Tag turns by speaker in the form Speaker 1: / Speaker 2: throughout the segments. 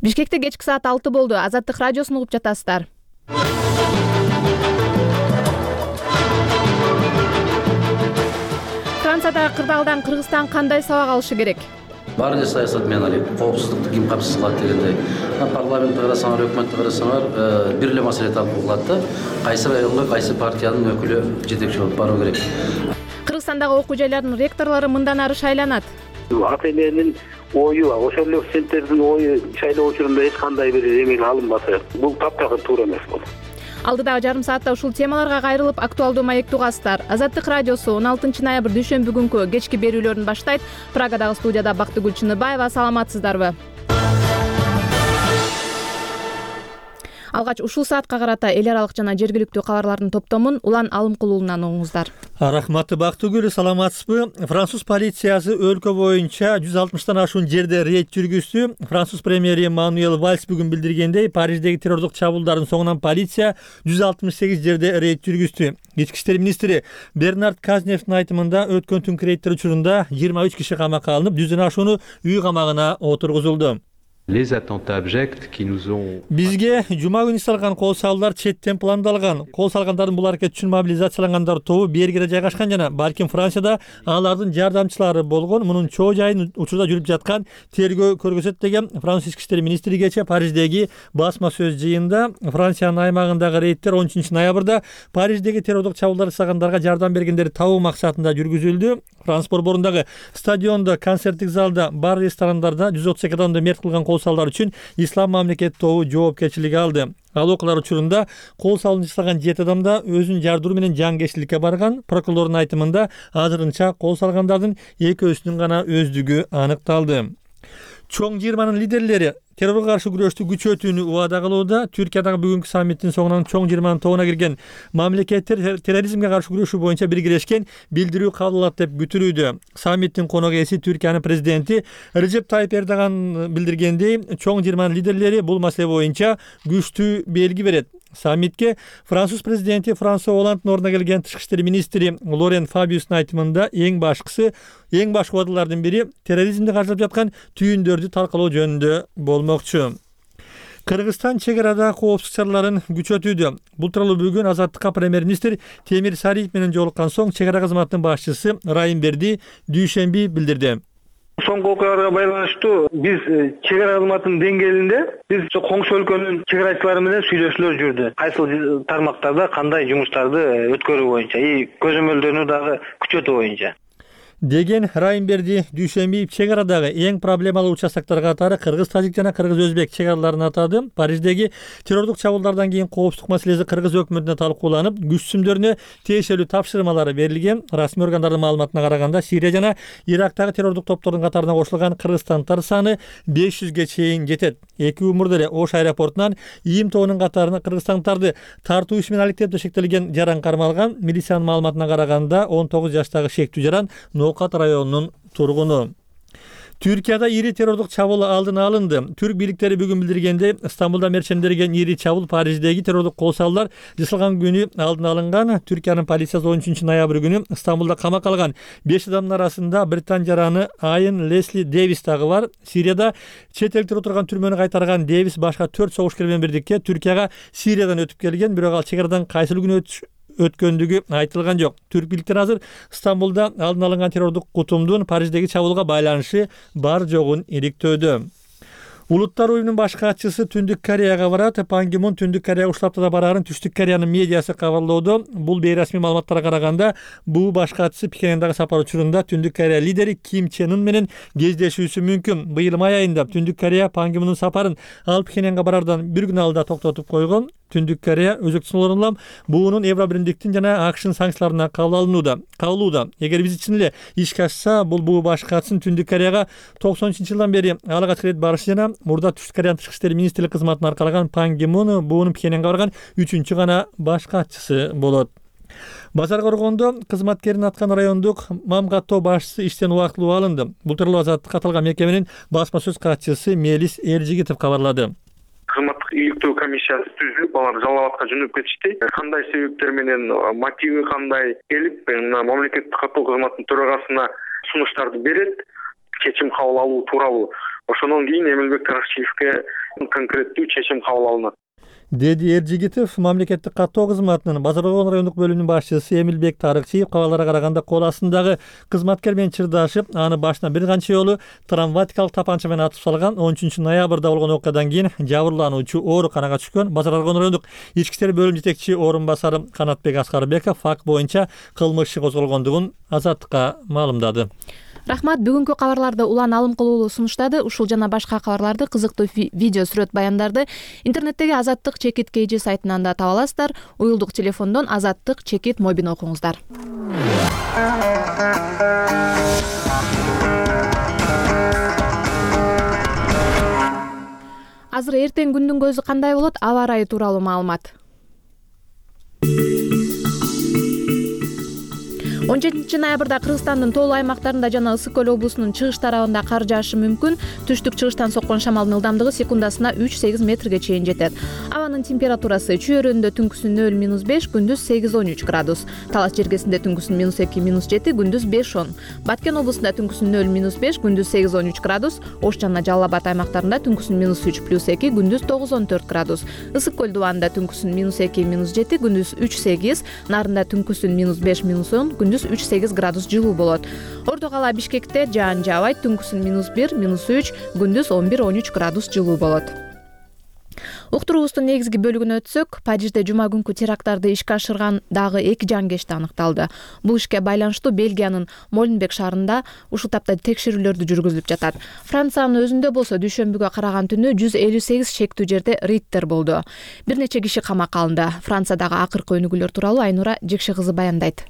Speaker 1: Бишкекте кечки саат 6 болду. Азаттык радиосун угуп жатасыздар. Франциядагы кырдаалдан Кыргызстан кандай сабак алышы керек?
Speaker 2: Бар эле саясат менен алек. Коопсуздукту ким камсыз кылат дегендей. Парламентти карасаңар, өкмөттү карасаңар, бир эле маселе талкуу кылат да. Кайсы районго кайсы партиянын өкүлү жетекчи болуп баруу керек.
Speaker 1: Кыргызстандагы окуу жайлардын ректорлору мындан ары шайланат.
Speaker 3: Ата эненин ою, ошол эле студенттердин ою шайлоо учурунда эч кандай бир эмеге алынбасы. Бул таптагы туура эмес бул.
Speaker 1: Алдыдагы жарым саатта ушул темаларга кайрылып актуалдуу маекти угасыздар. Азаттык радиосу 16 ноябрь дүйшөмбү күнкү кечки берүүлөрүн баштайт. Прагадагы студияда Бактыгүл Чыныбаева. Саламатсыздарбы? Алгач ушул саатка карата эл аралык жана жергиликтүү кабарлардын топтомун Улан Алымкулуулунан угуңуздар.
Speaker 4: Рахматы Бактыгүл, саламатсызбы? Француз полициясы өлкө боюнча 160тан ашуун жерде рейд жүргүздү. Француз премьери Мануэль Вальс бүгүн билдиргендей, Париждеги террордук чабуулдардын соңунан полиция 168 жерде рейд жүргүздү. Ички иштер министри Бернард Казневдин айтымында өткөн түнкү рейдтер учурунда 23 киши камакка алынып, 100дөн ашууну үй камагына отургузулду. Бизге жума күнү салган кол салуулар четтен пландалган. Кол салгандардын бул аракет үчүн мобилизациялангандар тобу Бельгияда жайгашкан жана балким Францияда алардын жардамчылары болгон. Мунун чоо жайын учурда жүрүп жаткан тергөө көргөзөт деген Француз ички иштер министри кечээ Париждеги басма сөз жыйында Франциянын аймагындагы рейдтер 13 ноябрда Париждеги террордук чабуулдар жасагандарга жардам бергендерди табуу максатында жүргүзүлдү. Франс борборундағы стадионда, концерттик залда, бар ресторандарда 132 адамды мерт кылган кол салуулар үчүн Ислам мамлекет тобу жоопкерчилик алды. Ал окуялар учурунда кол салууну жасаган 7 адам да өзүнүн жардыруу менен жангерчиликке барган. Прокурордун айтымында азырынча кол салгандардын экөөсүнүн гана өздүгү аныкталды. Чоң жыйырманын лидерлери террорго каршы күрөштү күчөтүүнү убада кылууда. Түркиядагы бүгүнкү саммиттин соңунан чоң жыйырманын тобуна кирген мамлекеттер терроризмге каршы күрөшүү боюнча биргелешкен билдирүү кабыл алат деп күтүлүүдө. Саммиттин конок ээси Түркиянын президенти Режеп Тайип Эрдоган билдиргендей, чоң жыйырманын лидерлери бул маселе боюнча күчтүү белги берет. Саммитке Француз президенти Франсуа Олланддын ордуна келген тышкы иштер министри Лорен Фабиустун айтымында эң башкы убадалардын бири терроризмди каржылап жаткан түйүндөрдү талкалоо жөнүндө болмокчу. Кыргызстан чек арада коопсуздук чараларын күчөтүүдө. Бул тууралуу бүгүн Азаттыкка премьер-министр Темир Сариев менен жолуккан соң чек ара кызматынын башчысы Райымберди дүйшөмбү билдирди.
Speaker 3: Соңку окуяларга байланыштуу биз чек ара кызматынын деңгээлинде биз коңшу өлкөнүн чек арачылары менен сүйлөшүүлөр жүрдү. Кайсыл тармактарда кандай жумуштарды өткөрүү боюнча, көзөмөлдөрүнү дагы күчөтүү боюнча
Speaker 4: деген Райымберди дүйшөмбү чек арадагы эң проблемалуу участоктор катары кыргыз-тажик жана кыргыз-өзбек чек араларын атады. Париждеги террордук чабуулдардан кийин коопсуздук маселеси кыргыз өкмөтүнө талкууланып, күч түзүмдөрүнө тиешелүү тапшырмалары берилген. Расмий органдардын маалыматына караганда Сирия жана Ирактагы террордук топтордун катарына кошулган кыргызстандыктар саны 500ге чейин жетет. 2 умурда эле Ош аэропортунан ИИМ тобунун катарына кыргызстандыктарды тартуу иши менен алектеп шектелген жаран кармалган. Милициянын маалыматына караганда 19 жаштагы шектүү жаран Ноокат районунун тургуну. Түркияда ири террордук чабуул алдын алынды. Түрк бийликтери бүгүн билдиргенде, Стамбулда мерчендерген ири чабуул Париждеги террордук кол салуулар жасалган күнү алдын алынган. Түркиянын полициясы 13 ноябрь күнү Стамбулда камакка алган 5 адамдын арасында Британ жараны Айен Лесли Дэвис дагы бар. Сирияда чет элдер отурган түрмөнү кайтарган Дэвис башка 4 согушкер менен бирдикте Түркияга Сириядан өтүп келген, бирок ал чек арадан кайсыл күнү өткөндүгү айтылган жок. Түрк бийликтери азыр Стамбулда алдын алынган террордук кутумдун Париждеги чабуулга байланышы бар жогун иликтөөдө. Улуттар уюмунун баш катчысы Түндүк Кореяга барат. Пан Ги Мун Түндүк Кореяга ушул аптада бараарын Түштүк Кореянын медиасы кабарлоодо. Бул бейрасмий маалыматтарга караганда, бул баш катчысы Пекиндеги сапар учурунда Түндүк Корея лидери Ким Чен Ын менен кездешүүсү мүмкүн. Быйыл май айында Түндүк Корея Пан Ги Мундун сапарын ал Пекинге барардан бир күн алда токтотуп койгон. Түндүк Корея өзөктүн буунун Евробиримдиктин жана АКШнын санкцияларына кабылууда. Эгер биз чын эле ишке ашса, бул баш катчынын Түндүк Кореяга 90-жылдан бери алгач рет барышы жана мурда Түштүк Кореянын тышкы иштер министрлик кызматын аркалаган Пан Ги Мун буунун Пекинге барган 3-чү гана баш катчысы болот. Базар коргондо кызматкерин аткан райондук Мамгаттоо башчысы иштен убактылуу алынды. Бул тууралуу Азаттыкка катылган мекеменин басма сөз катчысы Мелис Эржигитов кабарлады.
Speaker 5: Кызматтык иликтөө комиссиясы түзүлүп, алар Жалал Абадка жөнөп кетишти. Кандай себептер менен, мотиви кандай келип, мамлекеттик каттоо кызматынын төрагасына сунуштарды берет, чечим кабыл алуу тууралуу. ошондон кийин Эмилбек Таракчиевке конкреттүү чечим кабыл алынат,
Speaker 4: деди Эржигитов. Мамлекеттик каттоо кызматынын Базар Болгон райондук бөлүмүнүн башчысы Эмилбек Таракчиев кабарларга караганда кол астындагы кызматкер менен чырдашып, аны башына бир канча жолу травматикалык тапанча менен атып салган. 13-ноябрда болгон окуядан кийин жабырлануучу ооруканага түшкөн. Базар Болгон райондук ички иштер бөлүм жетекчи орун басары Канатбек Аскарбеков факт боюнча кылмыш иши козголгондугун Азаттыкка маалымдады.
Speaker 1: Рахмат. Бүгүнкү кабарларды Улан Алым кылуулу сунуштады. Ушул жана башка кабарларды, кызыктуу видео сүрөт баяндарды интернеттеги Азаттык-KG сайтынан да таба аласыздар. Уюлдук телефондон Азаттык- мобин окуңуздар. Азыр эртең күндүн көзү кандай болот? Аба ырайы тууралуу маалымат. 17-ноябрда Кыргызстандын тоолуу аймактарында жана Ысык көл облусунун чыгыш тарабында кар жаашы мүмкүн. Түштүк-чыгыштан соккон шамалдын ылдамдыгы секундасына 3-8 метрге чейин жетет. Абанын температурасы чүйөрөндө түнкүсүн 0-5, күндүз 8-13 градус. Талас жергесинде түнкүсүн -2-7, күндүз 5-10. Баткен облусунда түнкүсүн 0-5, күндүз 8-13 градус. Ош жана Жалал Абад аймактарында түнкүсүн -3+2, күндүз 9-14 градус. Ысык көл дубанында түнкүсүн -2-7, күндүз 3-8, Нарында түнкүсүн -5-10, күндүз 3-8 градус жылуу болот. Орто кала Бишкекте жаан жаабайт, түнкүсүн -1-3, күндүз 11-13 градус жылуу болот. Уктуруубуздун негизги бөлүгүнө өтсөк, Парижде жума күнкү теракттарды ишке ашырган дагы 2 жангечти аныкталды. Бул ишке байланыштуу Бельгиянын Моленбек шаарында ушул тапта текшерүүлөрдү жүргүзүлүп жатат. Франциянын өзүндө болсо дүйшөмбүгө караган түнү 158 шектүү жерде рейдтер болду. Бир нече киши камакка алынды. Франциядагы акыркы өнүгүүлөр тууралуу Айнура Жекше кызы баяндайт.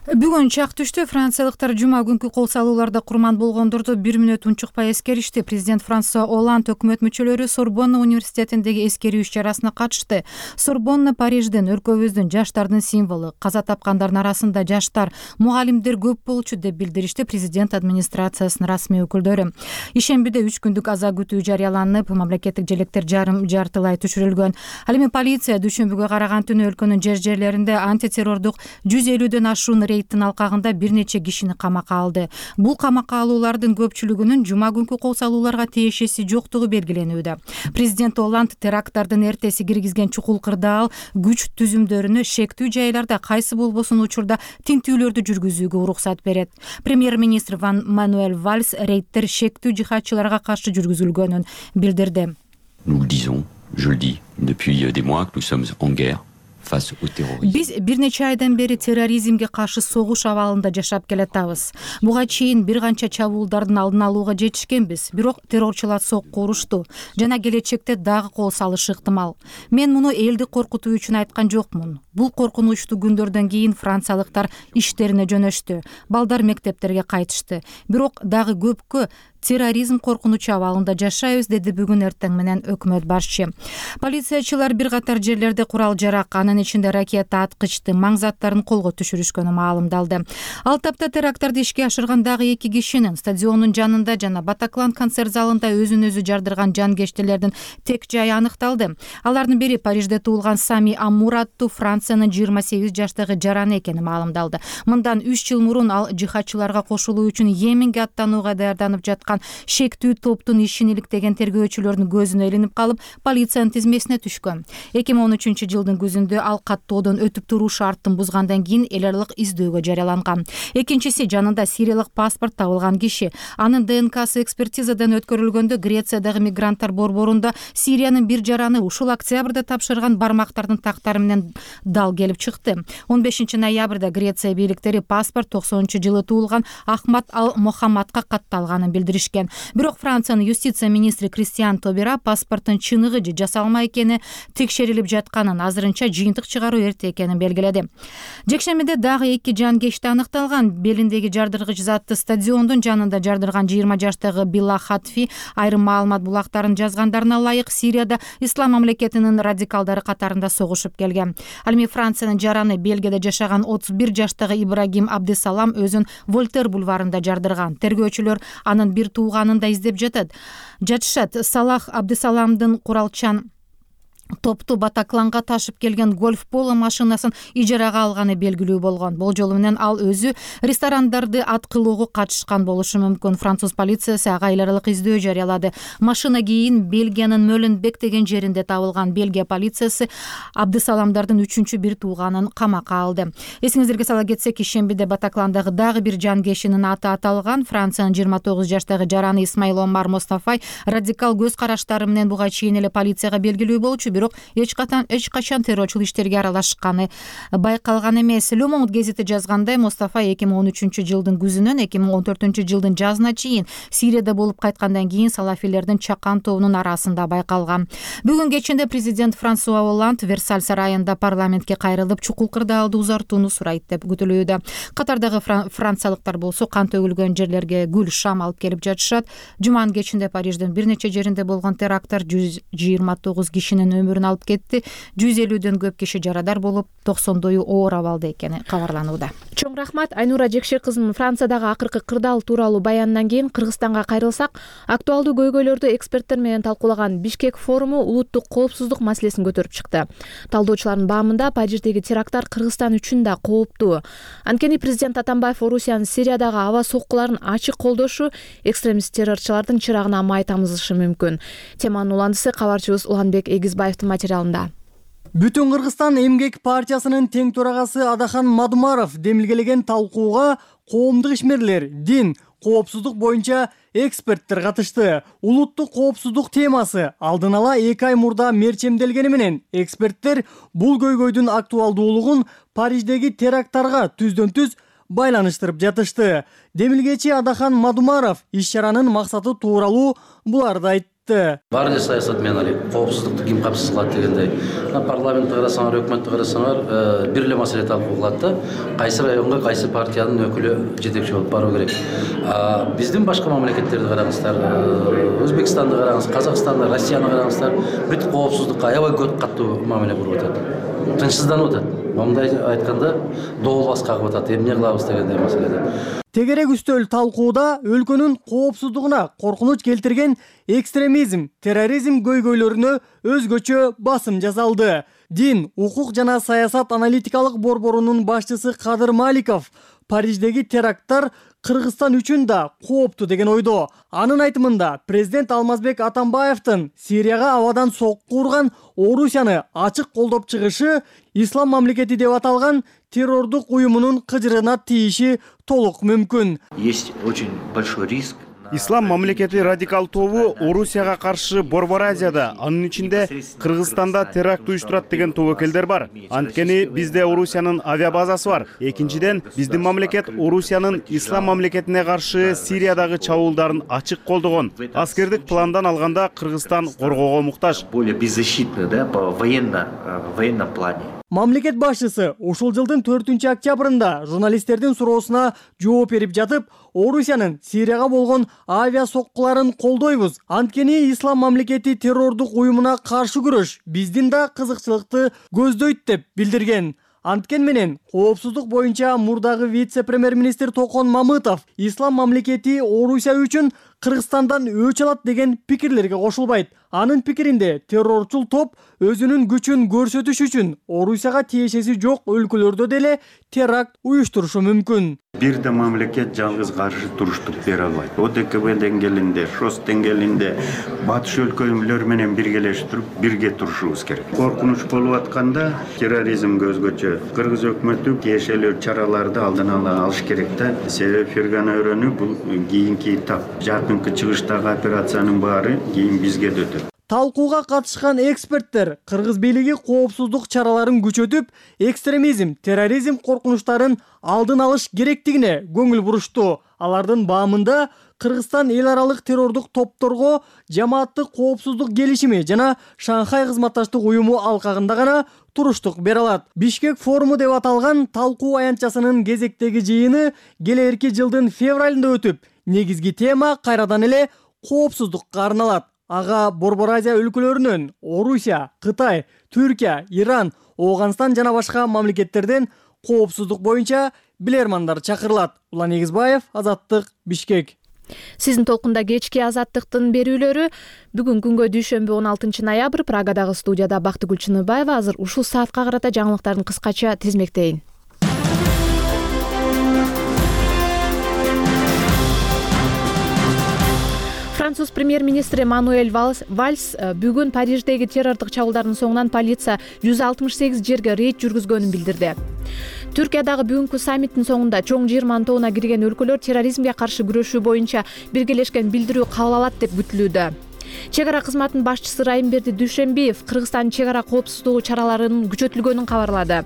Speaker 6: Бүгүн чак түштө франциялыктар жума күнкү кол салууларда курман болгондорду 1 мүнөт унчукпай эскеришти. Президент Франсуа Олланд өкмөт мүчөлөрү Сорбонна университетиндеги эскерүү иш-чарасына катышты. Сорбонна Парижден өлкөбүздүн жаштардын символу. Каза тапкандардын арасында жаштар, мугалимдер көп болчу деп билдиришти президент администрациясынын расмий өкүлдөрү. Ишембиде 3 күндүк аза күтүү жарыяланып, мамлекеттик желектер жарым-жартылай түшүрүлгөн. Ал эми полиция дүйшөмбүгө караган түнү өлкөнүн жерлеринде антитеррордук 150дөн ашуун рейдтин алкагында бир нече кишини камакка алды. Бул камакка алуулардын көпчүлүгүнүн жума күнкү кол салууларга тиешеси жоктугу белгиленүүдө. Президент Олланд теракттардын эртеси киргизген чукул кырдаал күч түзүмдөрүнө шектүү жайларда кайсы болбосун учурда тинтүүлөрдү жүргүзүүгө уруксат берет. Премьер-министр Ван Мануэль Вальс рейдтер шектүү жихадчыларга каршы жүргүзүлгөнүн билдирди.
Speaker 7: Nous le disons, je le dis, depuis des mois que nous sommes en guerre.
Speaker 6: Биз бир нече айдан бери терроризмге каршы согуш абалында жашап келатабыз. Буга чейин бир канча чабуулдардын алдын алууга жетишкенбиз, бирок террорчулар сокку урушту жана келечекте дагы кол салышы ыктымал. Мен муну элди коркутуу үчүн айткан жокмун. Бул коркунучтуу күндөрдөн кийин франциялыктар иштерине жөнөштү. Балдар мектептерге кайтышты. Бирок дагы көпкө терроризм коркунучу абалында жашайбыз, деди бүгүн эртең менен өкмөт башчы. Полициячылар бир катар жерлерде курал-жарак, анын ичинде ракета аткычты, маң заттарын колго түшүрүшкөнү маалымдалды. Ал тапта теракттарды ишке ашырган дагы 2 кишинин стадиондун жанында жана Батаклан концерт залында өзүн өзү жардырган жангечтилердин тек жайы аныкталды. Алардын бири Парижде туулган Сами Аммур аттуу Франциянын 28 жаштагы жараны экени маалымдалды. Мындан 3 жыл мурун ал жихадчыларга кошулуу үчүн Йеменге аттанууга даярданып жаткан шектүү топтун ишин иликтеген тергөөчүлөрдүн көзүнө илинип калып, полициянын тизмесине түшкөн. 2013 жылдын күзүндө ал каттоодон өтүп туруу шарттын бузгандан кийин эл аралык издөөгө жарыяланган. Экинчиси жанында сириялык паспорт табылган киши. Анын ДНКсы экспертизадан өткөрүлгөндө Грециядагы мигранттар борборунда Сириянын бир жараны ушул октябрда тапшырган бармактардын тактары менен дал келип чыкты. 15-ноябрда Греция бийликтери паспорт 90-жылы туулган Ахмад Ал-Мохаммадка катталганын билдиришкен. Бирок Франциянын юстиция министри Кристиан Тобера паспорттун чыныгы же жасалма экени текшерилип жатканын, азырынча жыйынтык чыгаруу эрте экенин белгиледи. Жекшембиде дагы 2 жангечти аныкталган. Белиндеги жардыргыч затты стадиондун жанында жардырган 20 жаштагы Билла Хатфи айрым маалымат булактарын жазгандарына ылайык Сирияда ислам мамлекетинин радикалдары катарында согушуп келген. Ал эми Франциянын жараны Бельгияда жашаган 31 жаштагы Ибрагим Абдисалам өзүн Вольтер бульварында жардырган. Тергөөчүлөр анын бир тууганын да издеп жатышат. Салах Абдисаламдын куралчан топту Батакланга ташып келген гольф поло машинасын ижарага алганы белгилүү болгон. Болжолу менен ал өзү ресторандарды аткылоого катышкан болушу мүмкүн. Француз полициясы ага эл аралык издөө жарыялады. Машина кийин Бельгиянын Мөленбек деген жеринде табылган. Бельгия полициясы Абдысаламдардын 3-чү бир тууганын камакка алды. Эсиңиздерге сала кетсек, ишембиде Батакландагы дагы бир жанкечинин аты аталган. Франциянын 29 жаштагы жараны Исмаил Омар Мустафай радикал көз караштары менен буга чейин эле полицияга белгилүү болчу, бирок эч качан террорчул иштерге аралашканы байкалган эмес. Le Monde гезити жазгандай, Мустафай 2013 жылдын күзүнөн 2014 жылдын жазына чейин Сирияда болуп кайткандан кийин салафилердин чакан тобунун арасында байкалган. Бүгүн кечинде президент Франсуа Олланд Версаль сарайында парламентке кайрылып, чукул кырдаалды узартууну сурайт деп күтүлүүдө. Катардагы франциялыктар болсо кан төгүлгөн жерлерге гүл шам алып келип жатышат. Жуманын кечинде Париждин бир нече жеринде болгон теракттар 129 кишинин өмүрүн алып кетти. 150дөн көп киши жарадар болуп, 90дою оор абалда экени кабарланууда.
Speaker 1: Чоң рахмат Айнура Жекшек кызынын Франциядагы акыркы кырдаал тууралуу баянынан кийин Кыргызстанга кайрылсак, актуалдуу көйгөйлөрдү эксперттер менен талкуулаган Бишкек форуму улуттук коопсуздук маселесин көтөрүп чыкты. Талдоочулардын баамында Париждеги теракттар Кыргызстан үчүн да кооптуу. Анткени президент Атамбаев Орусиянын Сириядагы аба соккуларын ачык колдошу экстремист террорчулардын чырагына май тамызышы мүмкүн. Теманын уландысы кабарчыбыз Уланбек Эгизбаевдин материалында.
Speaker 8: Бүтүн Кыргызстан эмгек партиясынын тең төрагасы Адахан Мадумаров демилгелеген талкууга коомдук ишмерлер, дин, коопсуздук боюнча эксперттер катышты. Улуттук коопсуздук темасы алдын ала 2 ай мурда мерчемделгени менен эксперттер бул көйгөйдүн актуалдуулугун Париждеги теракттарга түздөн-түз байланыштырып жатышты. Демилгечи Адахан Мадумаров иш-чаранын максаты тууралуу буларды айтты.
Speaker 2: Бар эле саясат менен алек коопсуздукту ким камсыз кылат дегендей. Парламентти карасаңар, өкмөттү карасаңар, бир эле маселе талкууланат да. Кайсы районго кайсы партиянын өкүлү жетекчи болуп баруу керек. Биздин башка мамлекеттерди караңыздар, Өзбекстанды караңыз, Казакстанды, Россияны караңыздар, бүт коопсуздукка аябай көп каттуу мамиле кылып атат. Тынчсызданып атат. Мындай айтканда, доолбас кагып атат. Эмне кылабыз дегендей маселеде.
Speaker 8: Тегерек үстөл талкууда өлкөнүн коопсуздугуна коркунуч келтирген экстремизм, терроризм көйгөйлөрүнө өзгөчө басым жасалды. Дин, укук жана саясат аналитикалык борборунун башчысы Кадыр Маликов Париждеги теракттар Кыргызстан үчүн да кооптуу деген ойдо. Анын айтымында президент Алмазбек Атамбаевдин Сирияга абадан сокку урган Орусияны ачык колдоп чыгышы Ислам мамлекети деп аталган террордук уюмунун кыжырына тийиши толук мүмкүн.
Speaker 9: Есть очень большой риск.
Speaker 10: Ислам мамлекети радикал тобу Орусияга каршы Борбор Азияда, анын ичинде Кыргызстанда теракт уюштурат деген тобокелдер бар. Анткени бизде Орусиянын авиабазасы бар. Экинчиден, биздин мамлекет Орусиянын Ислам мамлекетине каршы Сириядагы чабуулдарын ачык колдогон. Аскердик пландан алганда Кыргызстан коргоого муктаж.
Speaker 9: Более беззащитно, да, по военном плане.
Speaker 8: Мамлекет башчысы ушул жылдын 4-октябрында журналисттердин суроосуна жооп берип жатып, Орусиянын Сирияга болгон авиа соккуларын колдойбуз. Анткени Ислам мамлекети террордук уюмуна каршы күрөш биздин да кызыкчылыкты көздөйт деп билдирген. Анткен менен коопсуздук боюнча мурдагы вице-премьер-министр Токон Мамытов Ислам мамлекети Орусия үчүн Кыргызстандан өч алат деген пикирлерге кошулбайт. Анын пикиринде террорчул топ өзүнүн күчүн көрсөтүш үчүн Орусияга тиешеси жок өлкөлөрдө деле теракт уюштурушу мүмкүн.
Speaker 11: Бир да мамлекет жалгыз каршы туруштук бере албайт. ОДКБ деңгээлинде, ШОС деңгээлинде батыш өлкөлөр менен биргелешип бирге турушубуз керек. Коркунуч болуп атканда терроризмге өзгөчө Кыргыз өкмөтү тиешелүү чараларды алдын ала алыш керек да. Себеп Фергана өрөнү бул кийинки этап. Жакынкы чыгыштагы операциянын баары кийин бизге да өтөт.
Speaker 8: Талкууга катышкан эксперттер Кыргыз бийлиги коопсуздук чараларын күчөтүп, экстремизм, терроризм коркунучтарын алдын алыш керектигине көңүл бурушту. Алардын баамында Кыргызстан эл аралык террордук топторго жамааттык коопсуздук келишими жана Шанхай кызматташтык уюму алкагында гана туруштук бере алат. Бишкек форуму деп аталган талкуу аянтчасынын кезектеги жыйыны келерки жылдын февралында өтүп, негизги тема кайрадан эле коопсуздукка арналат. Ага Борбор Азия өлкөлөрүнөн Орусия, Кытай, Түркия, Иран, Оогандстан жана башка мамлекеттерден коопсуздук боюнча билермандар чакырылат. Улан Эгизбаев, Азаттык, Бишкек.
Speaker 1: Сиздин толкунда кечки Азаттыктын берүүлөрү. Бүгүн күнгө дүйшөмбү 16 ноябрь Прагадагы студияда Бактыгүл Чыныбаева. Азыр ушул саатка карата жаңылыктарын кыскача тизмектейин. Француз премьер-министри Мануэль Вальс бүгүн Париждеги террордук чабуулдардын соңунан полиция 168 жерге рейд жүргүзгөнүн билдирди. Түркиядагы бүгүнкү саммиттин соңунда чоң 20 тобуна кирген өлкөлөр терроризмге каршы күрөшүү боюнча биргелешкен билдирүү кабыл алат деп күтүлүүдө. Чек ара кызматынын башчысы Райымберди Дүйшөмбиев Кыргызстандын чек ара коопсуздугу чараларынын күчөтүлгөнүн кабарлады.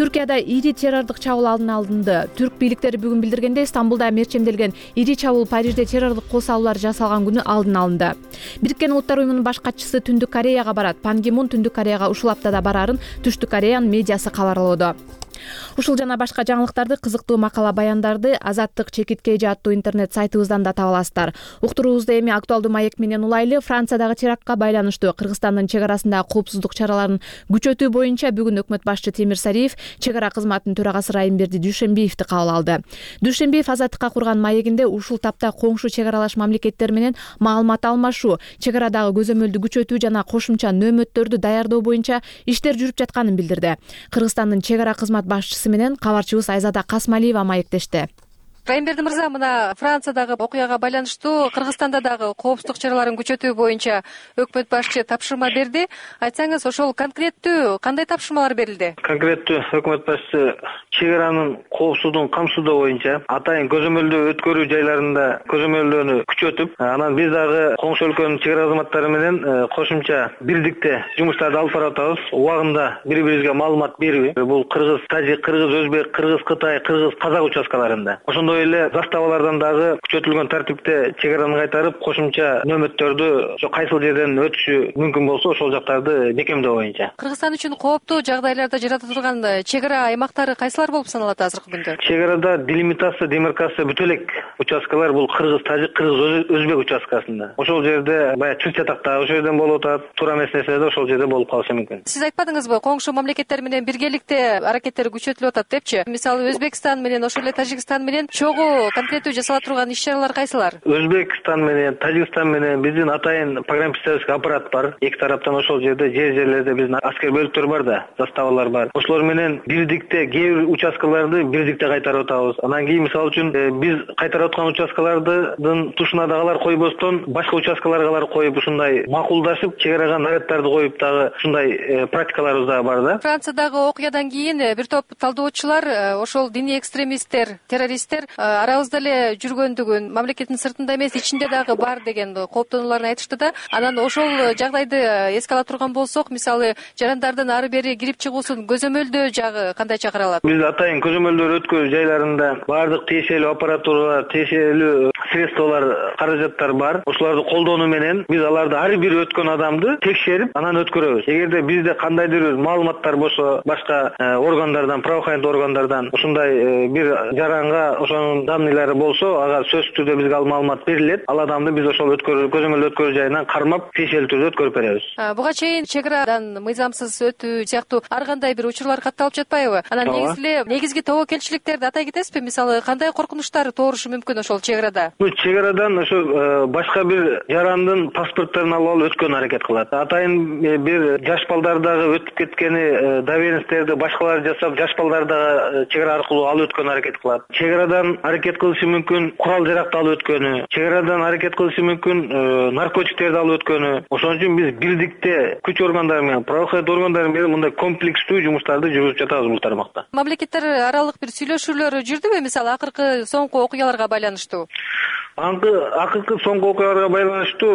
Speaker 1: Түркияда ири террордук чабуул алдын алынды. Түрк бийликтери бүгүн билдиргендей, Стамбулда мерчемделген ири чабуул Парижде террордук кол салуулар жасалган күнү алдын алынды. Бириккен Улуттар уюмунун баш катчысы Түндүк Кореяга барат. Пан Ги Мун Түндүк Кореяга ушул аптада барарын Түштүк Кореянын медиасы кабарлоодо. Ушул жана башка жаңылыктарды, кызыктуу макала баяндарды Азаттык чекиткей аттуу интернет сайтыбыздан да таба аласыздар. Уктуруубузду эми актуалдуу маек менен улайлы. Франциядагы терактка байланыштуу Кыргызстандын чек арасындагы коопсуздук чараларын күчөтүү боюнча бүгүн өкмөт башчы Темир Сариев чек ара кызматынын төрагасы Райымберди Дүйшөмбиевди кабыл алды. Дүйшөмбиев Азаттыкка курган маегинде ушул тапта коңшу чек аралаш мамлекеттер менен маалымат алмашуу, чек арадагы көзөмөлдү күчөтүү жана кошумча нөөмөттөрдү даярдоо боюнча иштер жүрүп жатканын билдирди. Кыргызстандын чек ара кызмат башчысы менен кабарчыбыз Айзада Касмалиева маектешти.
Speaker 12: Райымберди мырза, мына Франциядагы окуяга байланыштуу Кыргызстанда дагы коопсуздук чараларын күчөтүү боюнча өкмөт башчы тапшырма берди. Айтсаңыз, ошол конкреттүү кандай тапшырмалар берилди?
Speaker 3: Конкреттүү өкмөт башчысы чек аранын коопсуздугун камсыздоо боюнча атайын көзөмөлдөө өткөрүү жайларында көзөмөлдөөнү күчөтүп, анан биз дагы коңшу өлкөнүн чек ара кызматтары менен кошумча бирдикте жумуштарды алып барып атабыз. Убагында бири-бирибизге маалымат берип, бул кыргыз тажик, кыргыз өзбек, кыргыз кытай, кыргыз казак участкаларында. Ошондой эле заставалардан дагы күчөтүлгөн тартипте чек араны кайтарып, кошумча нөөмөттөрдү кайсыл жерден өтүшү мүмкүн болсо ошол жактарды бекемдөө боюнча.
Speaker 12: Кыргызстан үчүн кооптуу жагдайларда жарата турган чек ара аймактары кайсылар болуп саналат азыркы күндө?
Speaker 3: Чек арада делимитация, демаркация бүтө элек участкалар бул кыргыз тажик, кыргыз өзбек участкасында. Ошол жерде баягы чыр чатакта ошол жерден болуп атат, туура эмес нерселер ошол жерде болуп калышы мүмкүн.
Speaker 12: Сиз айтпадыңызбы, коңшу мамлекеттер менен биргеликте аракеттер күчөтүлүп атат депчи? Мисалы, Өзбекстан менен ошол эле Тажикстан менен чогуу конкреттүү жасала турган иш-чаралар кайсылар?
Speaker 3: Өзбекстан менен Тажикстан менен биздин атайын программистический аппарат бар. Эки тараптан ошол жерде жерлерде биздин аскер бөлүктөр бар да, заставалар бар. Ошолор менен бирдикте кээ бир участкаларды бирдикте кайтарып атабыз. Анан кийин мисалы үчүн биз кайтарып аткан участкалардын тушуна дагы койбостон башка участкаларга коюп, ушундай макулдашып, чек арага наряддарды коюп дагы ушундай практикаларыбыз дагы бар да.
Speaker 12: Франциядагы окуядан кийин бир топ талдоочулар ошол диний экстремисттер, террористтер арабызда эле жүргөндүгүн, мамлекеттин сыртында эмес, ичинде дагы бар деген кооптонууларын айтышты да. Анан ошол жагдайды эске ала турган болсок, мисалы, жарандардын ары бери кирип чыгуусун көзөмөлдөө жагы кандайча каралат?
Speaker 3: Биз атайын көзөмөлдөр өткөрүү жайларында баардык тиешелүү аппаратуралар, тиешелүү средстволор, каражаттар бар. Ошолорду колдонуу менен биз аларды ар бир өткөн адамды текшерип, анан өткөрөбүз. Эгерде бизде кандайдыр бир маалыматтар болсо, башка органдардан, правоохранительдик органдардан ушундай бир жаранга ошонун данныйлары болсо, ага сөзсүз түрдө бизге ал маалымат берилет. Ал адамды биз ошол көзөмөлдөө өткөрүү жайынан кармап, тиешелүү түрдө өткөрүп беребиз.
Speaker 12: Буга чейин чек арадан мыйзамсыз өтүү сыяктуу ар кандай бир учурлар катталып жатпайбы? Анан негизги тобокелчиликтерди атай кетесизби? Мисалы, кандай коркунучтар туурушу мүмкүн ошол чек арада?
Speaker 3: Чек арадан ошо башка бир жарандын паспортторун алып өткөн аракет кылат. Атайын бир жаш балдар дагы өтүп кеткени доверенностьтерди башкалар жасап, жаш балдар дагы чек ара аркылуу алып өткөн аракет кылат. Чек арадан аракет кылышы мүмкүн курал жаракты алып өткөнү, чек арадан аракет кылышы мүмкүн наркотиктерди алып өткөнү. Ошон үчүн биз бирдикте күч органдары менен, правоохранительдик органдар менен мындай комплекстүү жумуштарды жүргүзүп жатабыз бул тармакта.
Speaker 12: Мамлекеттер аралык бир сүйлөшүүлөр жүрдүбү, мисалы, акыркы соңку окуяларга байланыштуу?
Speaker 3: Акыркы соңку окуяларга байланыштуу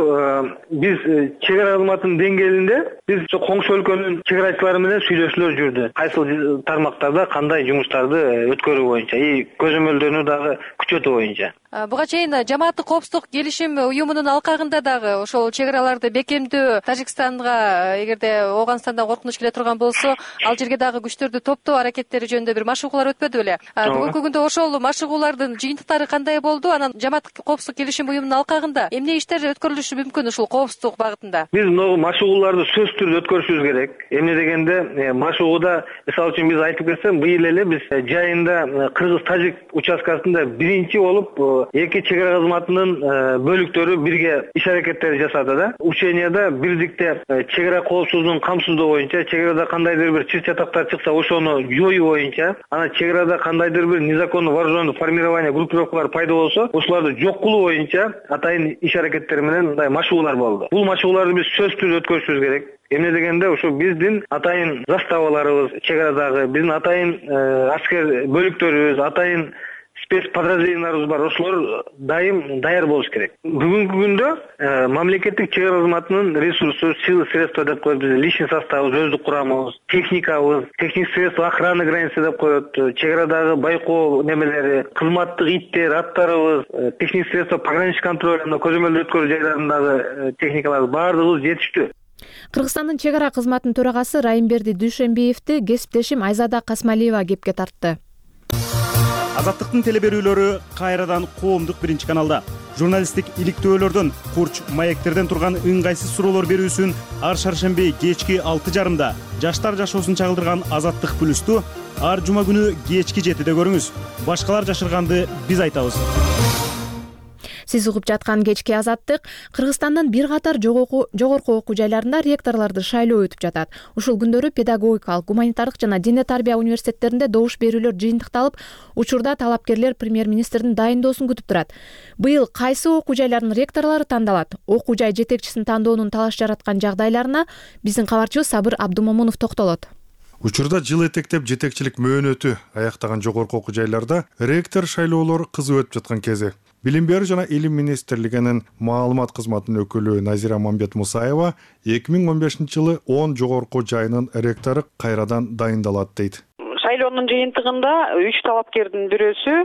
Speaker 3: биз чек ара кызматынын деңгээлинде биз коңшу өлкөнүн чек арачылары менен сүйлөшүүлөр жүрдү. Кайсыл тармактарда кандай жумуштарды өткөрүү боюнча, көзөмөлдөөнү дагы күчөтүү боюнча.
Speaker 12: Буга чейин жамааттык коопсуздук келишим уюмунун алкагында дагы ошол чек араларды бекемдөө, Тажикстанга эгерде Ооганстандан коркунуч келе турган болсо, ал жерге дагы күчтөрдү топтоо аракеттери жөнүндө бир машыгуулар өтпөдү беле? Бүгүнкү күндө ошол машыгуулардын жыйынтыктары кандай болду? Анан жамааттык коопсуздук келишим уюмунун алкагында эмне иштер өткөрүлүшү мүмкүн ушул коопсуздук багытында? Биз
Speaker 3: могу машыгууларды сөзсүз түрдө өткөрүшүбүз керек. Эмне дегенде, машыгууда мисалы үчүн биз айтып кетсем, быйыл эле биз жайында кыргыз-тажик участкасында биринчи болуп эки чек ара кызматынын бөлүктөрү бирге иш аракеттер жасады да. Ученияда бирдикте чек ара коопсуздугун камсыздоо боюнча, чек арада кандайдыр бир чыр чатактар чыкса ошону жоюу боюнча, анан чек арада кандайдыр бир незаконный вооруженный формирование группировкалар пайда болсо, ошолорду жок кылуу боюнча атайын иш аракеттер менен мындай машыгуулар болду. Бул машыгууларды биз сөзсүз өткөрүшүбүз керек. Эмне дегенде ошо биздин атайын заставаларыбыз чек арадагы, биздин атайын аскер бөлүктөрүбүз, атайын спецподразделенияларыбыз бар. Ошолор дайым даяр болуш керек. Бүгүнкү күндө мамлекеттик чек ара кызматынын ресурсу, силы средства деп коет, биздин личный составыбыз, өздүк курамыбыз, техникабыз, техник средства охраны границы деп коет, чек арадагы байкоо немелери, кызматтык иттер, аттарыбыз, техник средства пограничный контроль, көзөмөлдөө өткөрүү жайларындагы техникалар баардыгыбыз жетиштүү.
Speaker 1: Кыргызстандын чек ара кызматынын төрагасы Райымберди Дүйшөнбиевди кесиптешим Айзада Касмалиева кепке тартты.
Speaker 10: Азаттыктын телеберүүлөрү кайрадан коомдук биринчи каналда. Журналисттик иликтөөлөрдөн, курч маектерден турган ыңгайсыз суроолор берүүсүн ар шаршемби кечки 6:30 жаштар жашоосун чагылдырган Азаттык плюсту ар жума күнү кечки 7-де көрүңүз. Башкалар жашырганды биз айтабыз.
Speaker 1: Сиз угуп жаткан кечки Азаттык. Кыргызстандын бир катар жогорку окуу жайларында ректорлорду шайлоо өтүп жатат. Ушул күндөрү педагогикалык, гуманитардык жана диний тарбия университеттеринде добуш берүүлөр жыйынтыкталып, учурда талапкерлер премьер-министрдин дайындоосун күтүп турат. Быйыл кайсы окуу жайлардын ректорлору тандалат? Окуу жай жетекчисин тандоонун талаш жараткан жагдайларына биздин кабарчыбыз Сабыр Абдумомунов токтолот.
Speaker 13: Учурда жыл этектеп жетекчилик мөөнөтү аяктаган жогорку окуу жайларда ректор шайлоолор кызуу өтүп жаткан кези. Билим берүү жана илим министрлигинин маалымат кызматынын өкүлү Назира Мамбет Мусаева 2015-жылы 10 жогорку жайынын ректору кайрадан дайындалат дейт.
Speaker 14: Шайлоонун жыйынтыгында 3 талапкердин бирөөсү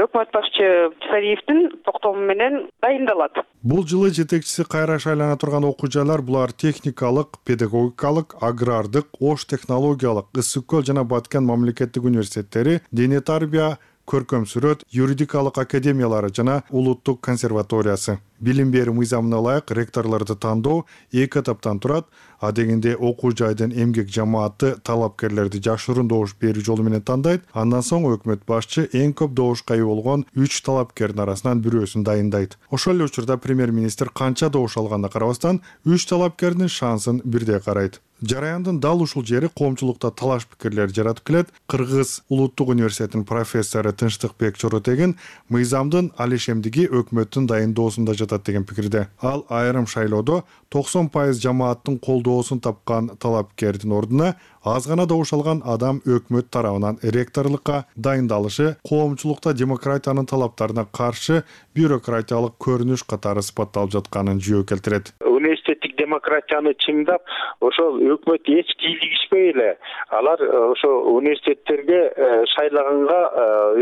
Speaker 14: өкмөт башчы Сариевдин токтому менен дайындалат.
Speaker 13: Бул жылы жетекчиси кайра шайлана турган окуу жайлар булар техникалык, педагогикалык, агрардык, ош технологиялык, Ысык көл жана Баткен мамлекеттик университеттери, диний тарбия, көркөм сүрөт, юридикалык академиялары жана улуттук консерваториясы. Билим берүү мыйзамына ылайык ректорлорду тандоо 2 этаптан турат. А дегенде окуу жайдын эмгек жамааты талапкерлерди жашыруун добуш берүү жолу менен тандайт. Андан соң өкмөт башчы эң көп добушка ээ болгон 3 талапкердин арасынан бирөөсүн дайындайт. Ошол эле учурда премьер-министр канча добуш алганына карабастан 3 талапкердин шансын бирдей карайт. Жараяндын дал ушул жери коомчулукта талаш пикирлер жаратып келет. Кыргыз улуттук университетинин профессору Тынчтыкбек Чоротегин мыйзамдын алишемдиги өкмөттүн дайындоосунда жатат деген пикирде. Ал айрым шайлоодо 90% жамааттын колдоосун тапкан талапкердин ордуна аз гана добуш алган адам өкмөт тарабынан ректорлукка дайындалышы коомчулукта демократиянын талаптарына каршы бюрократиялык көрүнүш катары сыпатталып жатканын жөө келтирет.
Speaker 15: Университеттик демократияны чыңдап, ошол өкмөт эч кийлигишпей эле алар ошо университеттерге шайлаганга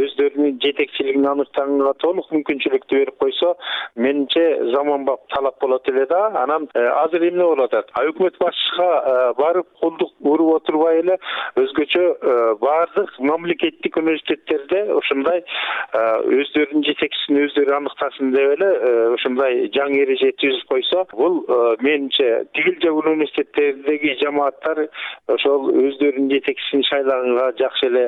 Speaker 15: өздөрүнүн жетекчилигин аныктаганга толук мүмкүнчүлүктү берип койсо, менимче заманбап талап болот эле да. Анан азыр эмне болуп атат? Өкмөт башчыга барып кулдук уруп отурбай эле өзгөчө баардык мамлекеттик университеттерде ушундай өздөрүнүн жетекчисин өздөрү аныктасын деп эле ушундай жаңы эреже түзүп койсо, бул менимче тигил же университеттердеги жамааттар ошол өздөрүнүн жетекчисин шайлаганга жакшы эле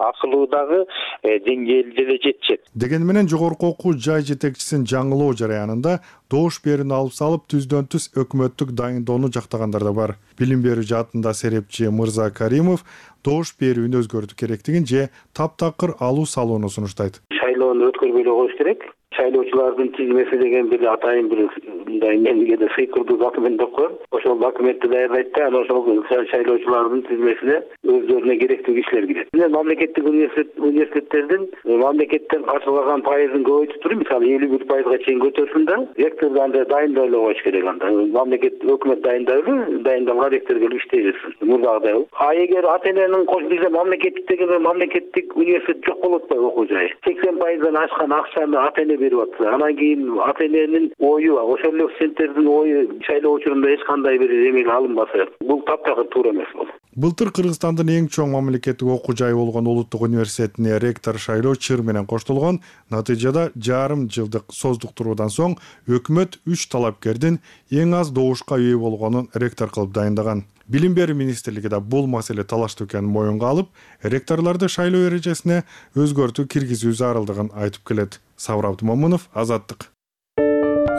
Speaker 15: акылуу дагы деңгээлде эле жетишет.
Speaker 13: Деген менен жогорку окуу жай жетекчисин жаңылоо жараянында добуш берүүнү алып салып түздөн-түз өкмөттүк дайындоону жактагандар да бар. Билим берүү жаатында серепчи Мырза Каримов добуш берүүнү өзгөртүү керектигин же таптакыр алуу салууну сунуштайт.
Speaker 16: Шайлоону өткөрбөй эле коюш керек. Шайлоочулардын тизмеси деген бир атайын бир мындай эмгеде сыйкырдуу документ деп коет. Ошол документти даярдайт да, анан ошол шайлоочулардын тизмесине өздөрүнө керектүү кишилер кирет. Мамлекеттик университеттердин мамлекеттен каржылаган пайызын көбөйтүп туруп, мисалы 51%га чейин көтөрсүн да, ректорду андай дайындай эле коюш керек анда. Мамлекет өкмөт дайындайлы, дайындалган ректор келип иштей берсин. Мурдагыдай. А эгер ата-эненин кошулуусу мамлекеттик университет жок болуп атпайбы окуу жайы? 80%дан ашкан акчаны ата-эне берип атты. Анан кийин ата-эненин ою, ошол эле студенттердин ою шайлоо учурунда эч кандай бир эмеге алынбаса, бул таптакыр туура эмес бул.
Speaker 13: Былтыр Кыргызстандын эң чоң мамлекеттик окуу жайы болгон Улуттук университетине ректор шайлоо чыр менен коштолгон. Натыйжада жарым жылдык создуктуруудан соң өкмөт 3 талапкердин эң аз добушка ээ болгонун ректор кылып дайындаган. Билим берүү министрлиги да бул маселе талаштуу экенин моюнга алып, ректорлорду шайлоо эрежесине өзгөртүү киргизүү зарылдыгын айтып келет. Сабыр Абдымомунов, Азаттык.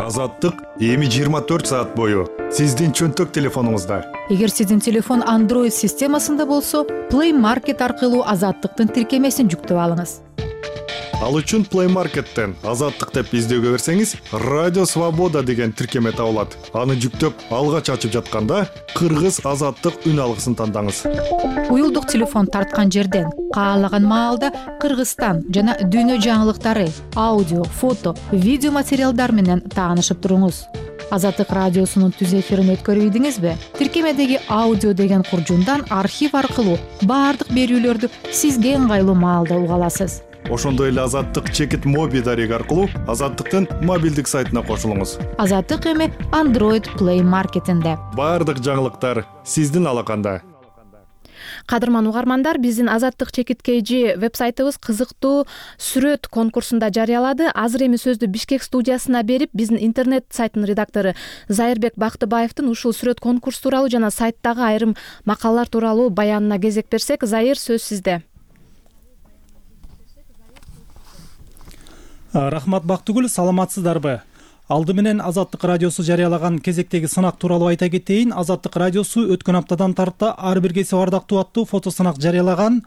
Speaker 13: Азаттык эми 24 саат бою сиздин чөнтөк телефонуңузда.
Speaker 6: Эгер сиздин телефон Android системасында болсо, Play Market аркылуу Азаттыктын тиркемесин жүктөп алыңыз.
Speaker 13: Ал үчүн Play Market'тен Азаттык деп издөөгө берсеңиз, Радио Свобода деген тиркеме табылат. Аны жүктөп, алгач ачып жатканда Кыргыз Азаттык үн алгысын тандаңыз.
Speaker 6: Уюлдук телефон тарткан жерден каалаган маалда Кыргызстан жана дүйнө жаңылыктары, аудио, фото, видео материалдар менен таанышып туруңуз. Азаттык радиосунун түз эфирин өткөрүп ийдиңизби? Тиркемедеги аудио деген куржундан архив аркылуу баардык берүүлөрдү сизге ыңгайлуу маалда уга аласыз.
Speaker 13: Ошондой эле Азаттык чекит моби дареги аркылуу Азаттыктын мобилдик сайтына кошулуңуз.
Speaker 6: Азаттык эми Android Play Market'инде.
Speaker 13: Баардык жаңылыктар сиздин алаканда.
Speaker 1: Кадырман угармандар, биздин Азаттык чекит KG вебсайтыбыз кызыктуу сүрөт конкурсунда жарыялады. Азыр эми сөздү Бишкек студиясына берип, биздин интернет сайтынын редактору Зайырбек Бактыбаевдин ушул сүрөт конкурс тууралуу жана сайттагы айрым макалалар тууралуу баянына кезек берсек, Зайыр, сөз сизде.
Speaker 17: Рахмат Бактыгүл, саламатсыздарбы? Алды менен Азаттык радиосу жарыялаган кезектеги сынак тууралуу айта кетейин. Азаттык радиосу өткөн аптадан тарта ар бир кесип ардактуу аттуу фото сынак жарыялаган.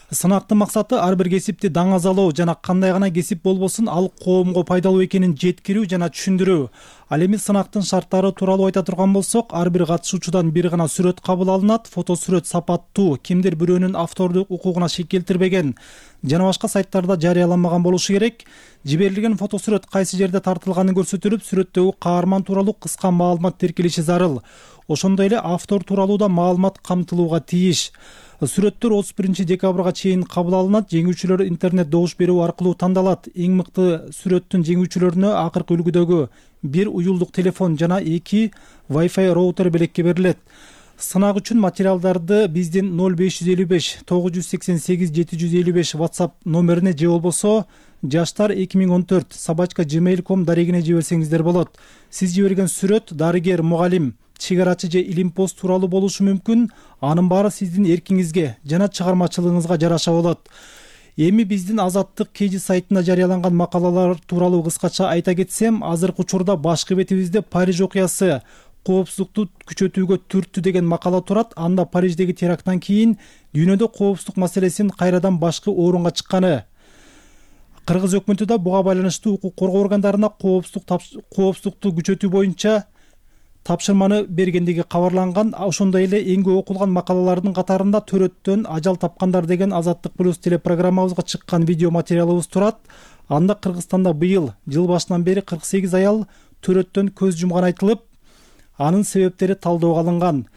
Speaker 17: Сынактын максаты ар бир кесипти даңазалоо жана кандай гана кесип болбосун ал коомго пайдалуу экенин жеткирүү жана түшүндүрүү. Ал эми сынактын шарттары тууралуу айта турган болсок, ар бир катышуучудан бир гана сүрөт кабыл алынат. Фото сүрөт сапаттуу, кимдир бирөөнүн автордук укугуна шек келтирбеген жана башка сайттарда жарыяланмаган болушу керек. Жиберилген фото сүрөт кайсы жерде тартылганы көрсөтүлүп, сүрөттөгү каарман тууралуу кыска маалымат тиркелиши зарыл. Ошондой эле автор тууралуу да маалымат камтылууга тийиш. Сүрөттөр 31 декабрга чейин кабыл алынат. Жеңүүчүлөр интернет добуш берүү аркылуу тандалат. Эң мыкты сүрөттүн жеңүүчүлөрүнө акыркы үлгүдөгү 1 уюлдук телефон жана 2 Wi-Fi роутер белекке берилет. Сынак үчүн материалдарды биздин 0555 988 755 WhatsApp номерине же болбосо жаштар 2014@gmail.com дарегине жиберсеңиздер болот. Сиз жиберген сүрөт дарыгер, мугалим, чыгарачы же илимпоз тууралуу болушу мүмкүн. Анын баары сиздин эркиңизге жана чыгармачылыгыңызга жараша болот. Эми биздин Азаттык KG сайтында жарыяланган макалалар тууралуу кыскача айта кетсем, азыркы учурда башкы бетибизде Париж окуясы коопсуздукту күчөтүүгө түрттү деген макала турат. Анда Париждеги теракттан кийин дүйнөдө коопсуздук маселесинин кайрадан башкы орунга чыкканы. Кыргыз өкмөтү да буга байланыштуу укук коргоо органдарына коопсуздукту күчөтүү боюнча тапшырманы бергендиги кабарланган. Ошондой эле эң көп окулган макалалардын катарында төрөттөн ажал тапкандар деген Азаттык плюс телепрограммабызга чыккан видео материалыбыз турат. Анда Кыргызстанда быйыл жыл башынан бери 48 аял төрөттөн көз жумган айтылып, анын себептери талдоого алынган.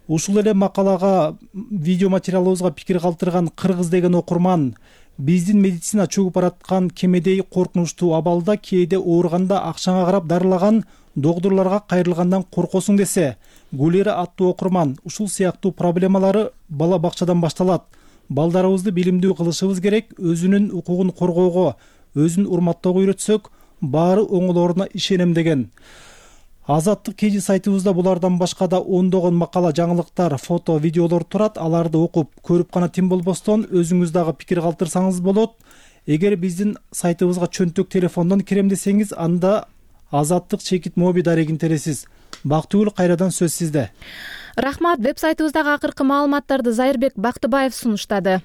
Speaker 17: Ушул эле макалага видео материалыбызга пикир калтырган Кыргыз деген окурман биздин медицина чөгүп бараткан кемедей коркунучтуу абалда кээде ооруганда акчаңа карап дарылаган докторлорго кайрылгандан коркосуң десе, Гулера аттуу окурман ушул сыяктуу проблемалары бала бакчадан башталат. Балдарыбызды билимдүү кылышыбыз керек, өзүнүн укугун коргоого, өзүн урматтоого үйрөтсөк, баары оңолоруна ишенем деген. Азаттык KG сайтыбызда булардан башка да ондогон макала, жаңылыктар, фото, видеолор турат. Аларды окуп, көрүп гана тим болбостон өзүңүз дагы пикир калтырсаңыз болот. Эгер биздин сайтыбызга чөнтөк телефондон кирем десеңиз, анда Азаттык чекит моби дарегин тересиз. Бактыгүл, кайрадан сөз сизде.
Speaker 1: Рахмат. Вебсайтыбыздагы акыркы маалыматтарды Зайырбек Бактыбаев сунуштады.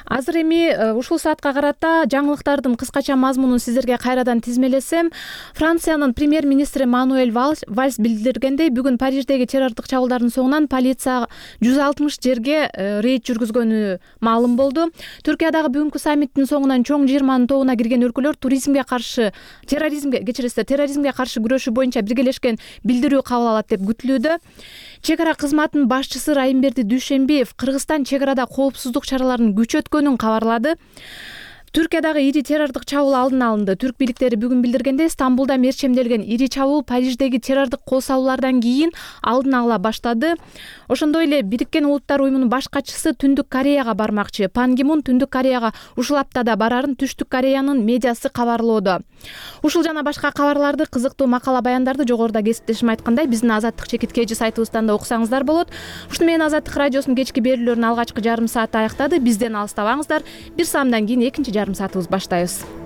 Speaker 1: Азыр эми ушул саатка карата жаңылыктардын кыскача мазмунун сиздерге кайрадан тизмелесем, Франциянын премьер-министри Мануэль Вальс билдиргендей, бүгүн Париждеги террордук чабуулдардын соңунан полиция 160 жерге рейд жүргүзгөнү маалым болду. Түркиядагы бүгүнкү саммиттин соңунан чоң 20 тобуна кирген өлкөлөр терроризмге каршы күрөшүү боюнча биргелешкен билдирүү кабыл алат деп күтүлүүдө. Чек ара кызматынын башчысы Райымберди Дүйшембиев Кыргызстан чек арада коопсуздук чараларын күчөткөнүн кабарлады. Түркиядагы ири террордук чабуул алдын алынды. Түрк бийликтери бүгүн билдиргендей, Стамбулда мерчемделген ири чабуул Париждеги террордук кол салуулардан кийин алдын ала баштады. Ошондой эле Бириккен Улуттар уюмунун баш катчысы Түндүк Кореяга бармакчы. Пан Ги Мун Түндүк Кореяга ушул аптада барарын Түштүк Кореянын медиасы кабарлоодо. Ушул жана башка кабарларды, кызыктуу макала баяндарды жогоруда кесиптешим айткандай биздин Азаттык чекиткеji сайтыбыздан да окусаңыздар болот. Ушуну менен Азаттык радиосунун кечки берүүлөрүнүн алгачкы жарым сааты аяктады. Бизден алыстабаңыздар. Бир саамдан кийин экинчи жарым саатыбыз баштайбыз.